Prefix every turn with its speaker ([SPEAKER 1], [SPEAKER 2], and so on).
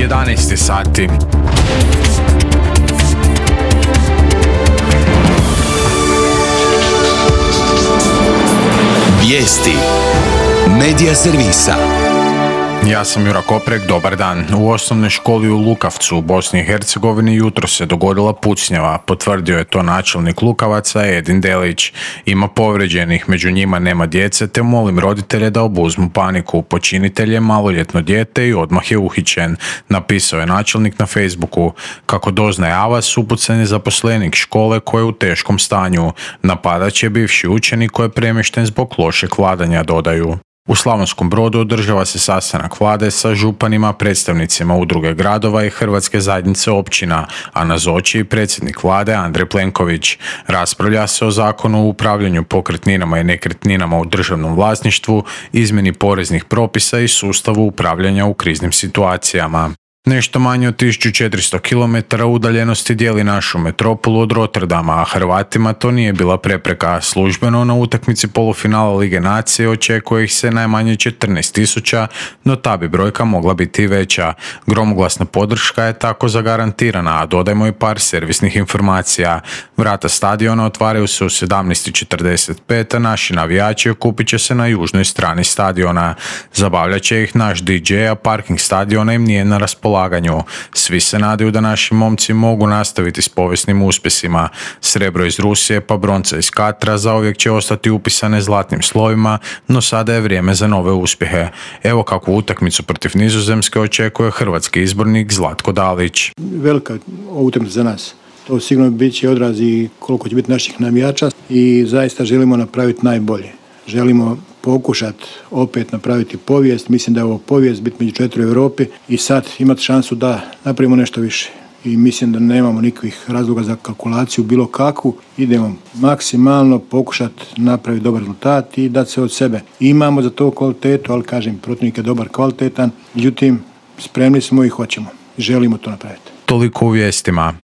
[SPEAKER 1] 11 sati.
[SPEAKER 2] Vijesti Medija servisa.
[SPEAKER 1] Ja sam Jura Koprek, dobar dan. U osnovnoj školi u Lukavcu u Bosni i Hercegovini jutro se dogodila pucnjava, potvrdio je to načelnik Lukavaca Edin Delić. Ima povrijeđenih, među njima nema djece, te molim roditelje da obuzmu paniku. Počinitelj je maloljetno dijete i odmah je uhićen, napisao je načelnik na Facebooku. Kako doznaje Avas, upucan je zaposlenik škole koji je u teškom stanju. Napadač je bivši učenik koji je premješten zbog lošeg vladanja, dodaju. U Slavonskom Brodu održava se sastanak vlade sa županima, predstavnicima udruge gradova i Hrvatske zajednice općina, a nazoči i predsjednik vlade Andrej Plenković. Raspravlja se o zakonu o upravljanju pokretninama i nekretninama u državnom vlasništvu, izmjeni poreznih propisa i sustavu upravljanja u kriznim situacijama. Nešto manje od 1400 km udaljenosti dijeli našu metropolu od Rotterdama, a Hrvatima to nije bila prepreka. Službeno na utakmici polufinala Lige nacije očekuje ih se najmanje 14.000, no ta bi brojka mogla biti i veća. Gromoglasna podrška je tako zagarantirana, a dodajmo i par servisnih informacija. Vrata stadiona otvaraju se u 17.45, a naši navijači okupit će se na južnoj strani stadiona. Zabavljat će ih naš DJ, a parking stadiona im nije na raspolaganju. Svi se nadaju da naši momci mogu nastaviti s povijesnim uspjesima. Srebro iz Rusije pa bronca iz Katra zauvijek će ostati upisane zlatnim slovima, no sada je vrijeme za nove uspjehe. Evo kakvu utakmicu protiv Nizozemske očekuje hrvatski izbornik Zlatko Dalić.
[SPEAKER 3] Velika utakmica za nas. To sigurno bit će odraz i koliko će biti naših navijača i zaista želimo napraviti najbolje. Želimo pokušati opet napraviti povijest. Mislim da je ovo povijest biti među 4 u Europi i sad imati šansu da napravimo nešto više. I mislim da nemamo nikakvih razloga za kalkulaciju bilo kakvu. Idemo maksimalno pokušati napraviti dobar rezultat i dati se od sebe. Imamo za to kvalitetu, ali kažem, protivnik je dobar, kvalitetan. Međutim, spremni smo i hoćemo. Želimo to napraviti.
[SPEAKER 1] Toliko u vijestima.